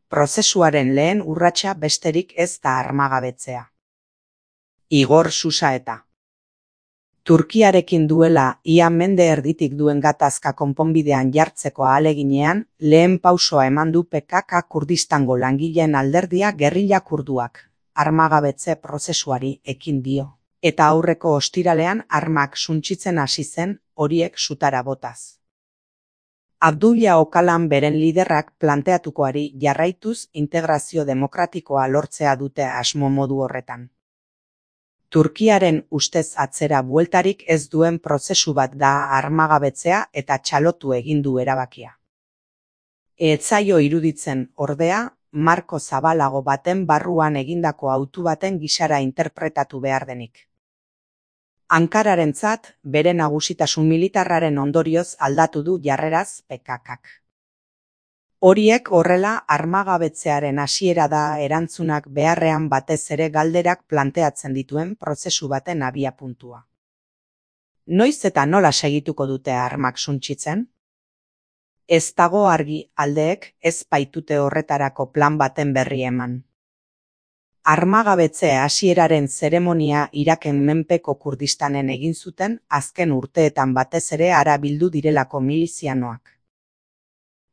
Prozesuaren lehen urratsa besterik ez da armagabetzea. Igor Susaeta. Turkiarekin duela ia mende erditik duen gatazka konponbidean jartzeko ahaleginean, lehen pausoa eman du PKK Kurdistango langileen alderdia gerrilla kurduak, armagabetze prozesuari ekin dio. Eta aurreko ostiralean armak suntsitzen hasi zen, horiek sutara botaz. Abdullah Öcalan beren liderrak planteatukoari jarraituz integrazio demokratikoa lortzea dute asmo modu horretan. Turkiaren ustez atzera bueltarik ez duen prozesu bat da armagabetzea eta txalotu egin du erabakia. Ez zaio iruditzen, ordea, marko zabalago baten barruan egindako hautu baten gisara interpretatu behar denik. Ankararentzat, bere nagusitasun militarraren ondorioz aldatu du jarreraz PKKk. Horiek horrela armagabetzearen hasiera da erantzunak beharrean batez ere galderak planteatzen dituen prozesu baten abiapuntua. Noiz eta nola segituko dute armak suntsitzen? Ez dago argi aldeek ez baitute horretarako plan baten berri eman. Armagabetze hasieraren zeremonia Iraken menpeko Kurdistanen egin zuten azken urteetan batez ere hara bildu direlako milizianoak.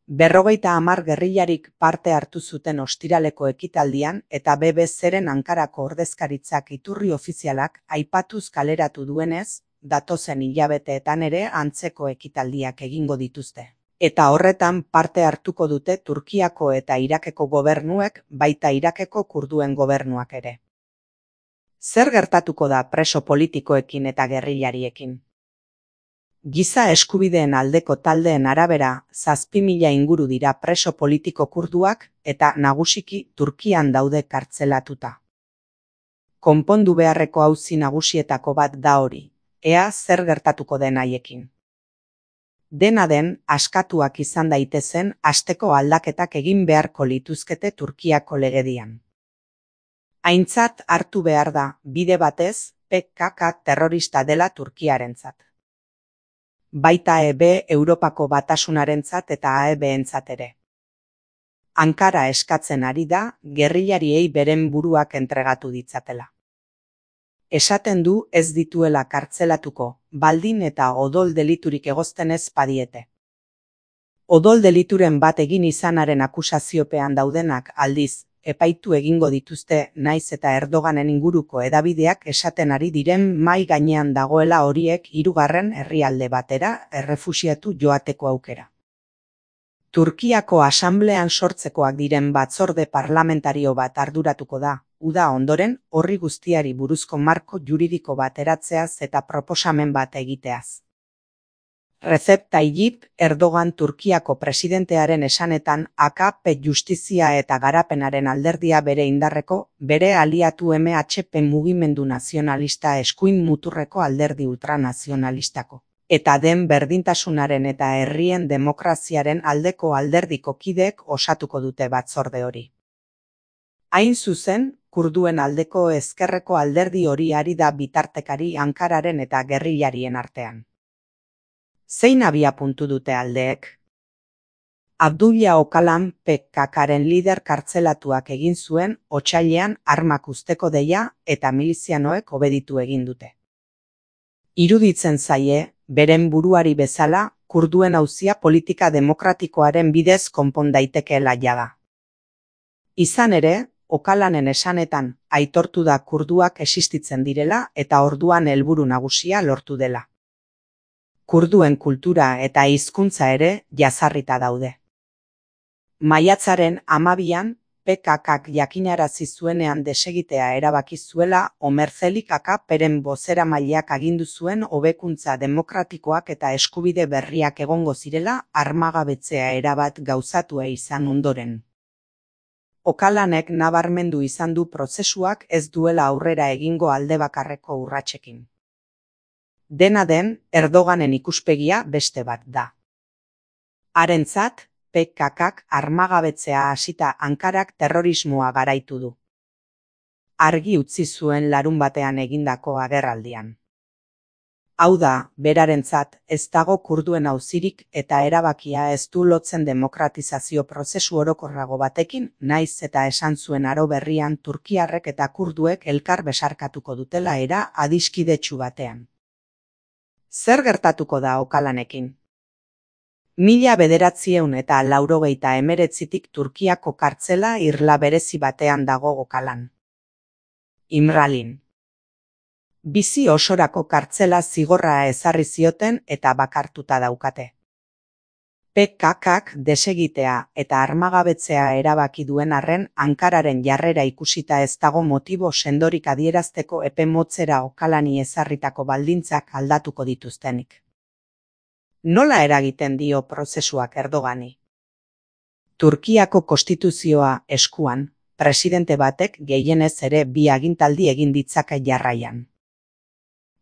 50 gerrillarik parte hartu zuten ostiraleko ekitaldian eta BBC-ren Ankarako ordezkaritzak iturri ofizialak aipatuz kaleratu duenez, datozen hilabeteetan ere antzeko ekitaldiak egingo dituzte. Eta horretan parte hartuko dute Turkiako eta Irakeko gobernuek, baita Irakeko kurduen gobernuak ere. Zer gertatuko da preso politikoekin eta gerrillariekin? Giza eskubideen aldeko taldeen arabera 7.000 inguru dira preso politiko kurduak eta nagusiki Turkian daude kartzelatuta. Konpondu beharreko auzi nagusietako bat da hori, ea zer gertatuko den haiekin. Dena den, askatuak izan daitezen asteko aldaketak egin beharko lituzkete Turkiako legedian. Aintzat hartu behar da, bide batez, PKK terrorista dela Turkiarentzat. Baita Europako Batasunarentzat eta AEB-entzat ere. Ankara eskatzen ari da, gerrillariei beren buruak entregatu ditzatela. Esaten du ez dituela kartzelatuko, baldin eta odol deliturik egozten ez badiete. Odol delituren bat egin izanaren akusaziopean daudenak aldiz, epaitu egingo dituzte naiz eta Erdoganen inguruko hedabideak esaten ari diren mahai gainean dagoela horiek 3. herrialde batera errefuxiatu joateko aukera. Turkiako asanblean sortzekoak diren batzorde parlamentario bat arduratuko da, uda ondoren horri guztiari buruzko marko juridiko bat eratzeaz eta proposamen bat egiteaz. Recep Tayyip Erdogan Turkiako presidentearen esanetan AKP justizia eta garapenaren alderdia bere indarreko, bere aliatu MHP mugimendu nazionalista eskuin muturreko alderdi ultranazionalistako. Eta den berdintasunaren eta herrien demokraziaren aldeko alderdiko kideek osatuko dute batzorde hori. Hain zuzen, kurduen aldeko ezkerreko alderdi hori ari da bitartekari Ankararen eta gerrillarien artean. Zein abiapuntu dute aldeek? Abdullah Öcalan PKKren lider kartzelatuak egin zuen otsailean armak uzteko deia eta milizianoek obeditu egin dute. Iruditzen zaie, beren buruari bezala, kurduen auzia politika demokratikoaren bidez konpon daitekeela jada. Izan ere, Öcalanen esanetan aitortu da kurduak existitzen direla eta orduan helburu nagusia lortu dela. Kurduen kultura eta hizkuntza ere jazarrita daude. Maiatzaren 12an, PKKk jakinarazi zuenean desegitea erabaki zuela Omer Zelik AKPren bozeramaileak agindu zuen hobekuntza demokratikoak eta eskubide berriak egongo zirela armagabetzea erabat gauzatua izan ondoren. Öcalanek nabarmendu izan du prozesuak ez duela aurrera egingo aldebakarreko urratsekin. Dena den, Erdoganen ikuspegia beste bat da. Harentzat, PKKk armagabetzea hasita Ankarak terrorismoa garaitu du. Argi utzi zuen larunbatean egindako agerraldian. Hau da, berarentzat, ez dago kurduen auzirik eta erabakia ez du lotzen demokratizazio prozesu orokorrago batekin, nahiz eta esan zuen aro berrian turkiarrek eta kurduek elkar besarkatuko dutela era adiskidetsu batean. Zer gertatuko da Okalanekin? 1989tik Turkiako kartzela irla berezi batean dago Okalan. Imralin. Bizi osorako kartzela zigorra ezarri zioten eta bakartuta daukate. PKKk desegitea eta armagabetzea erabaki duen arren Ankararen jarrera ikusita ez dago motibo sendorik adierazteko epe motzera Okalani ezarritako baldintzak aldatuko dituztenik. Nola eragiten dio prozesuak Erdogani? Turkiako konstituzioa eskuan, presidente batek gehienez ere 2 agintaldi egin ditzake jarraian.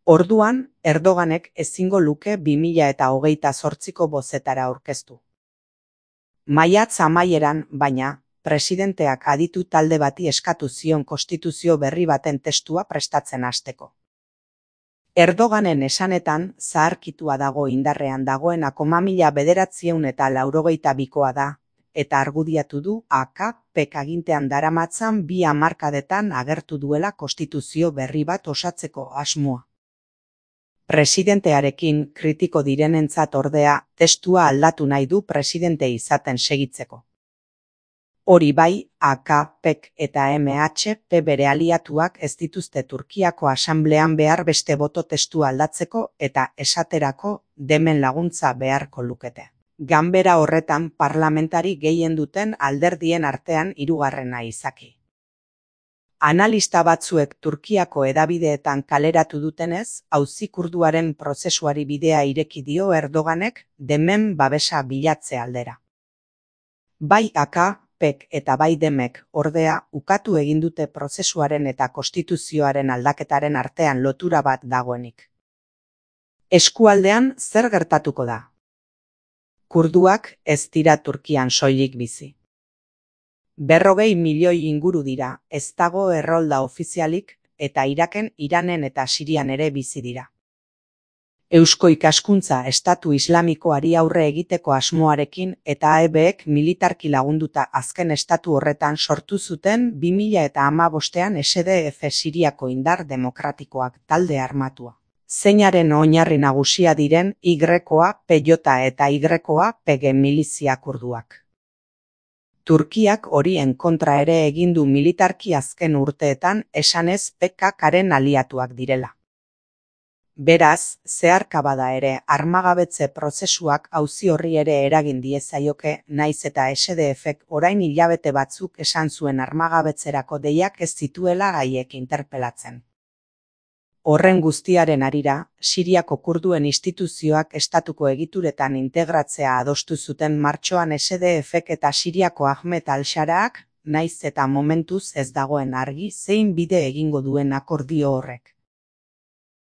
Orduan, Erdoganek ezingo luke 2028ko bozetara aurkeztu. Maiatz amaieran, baina, presidenteak aditu talde bati eskatu zion konstituzio berri baten testua prestatzen hasteko. Erdoganen esanetan, zaharkitua dago indarrean dagoenako 1992koa da, eta argudiatu du AKPk agintean daramatzan 2 hamarkadetan agertu duela konstituzio berri bat osatzeko asmoa. Presidentearekin kritiko direnentzat ordea, testua aldatu nahi du presidente izaten segitzeko. Hori bai, AKPk eta MHP bere aliatuak ez dituzte Turkiako asamblean behar beste boto testua aldatzeko eta esaterako demen laguntza beharko lukete. Ganbera horretan parlamentari gehien duten alderdien artean 3. izaki. Analista batzuek Turkiako hedabideetan kaleratu dutenez, auzi kurduaren prozesuari bidea ireki dio Erdoganek demen babesa bilatze aldera. Bai AKPk eta bai demek ordea ukatu egin dute prozesuaren eta konstituzioaren aldaketaren artean lotura bat dagoenik. Eskualdean zer gertatuko da? Kurduak ez dira Turkian soilik bizi. 40 milioi inguru dira, ez dago errolda ofizialik, eta Iraken, Iranen eta Sirian ere bizi dira. Eusko ikaskuntza estatu islamikoari aurre egiteko asmoarekin eta AEBek militarki lagunduta azken estatu horretan sortu zuten 2015ean SDF Siriako indar demokratikoak talde armatua. Zeinaren oinarri nagusia diren YPJ eta YPG milizia kurduak. Turkiak horien kontra ere egin du militarki azken urteetan esanez PKKren aliatuak direla. Beraz, zeharka bada ere armagabetze prozesuak auzi horri ere eragin diezaioke, naiz eta SDFek orain hilabete batzuk esan zuen armagabetzerako deiak ez zituela haiek interpelatzen. Horren guztiaren harira, Siriako kurduen instituzioak estatuko egituretan integratzea adostu zuten martxoan SDFek eta Siriako Ahmed al-Sharaak, naiz eta momentuz ez dagoen argi zein bide egingo duen akordio horrek.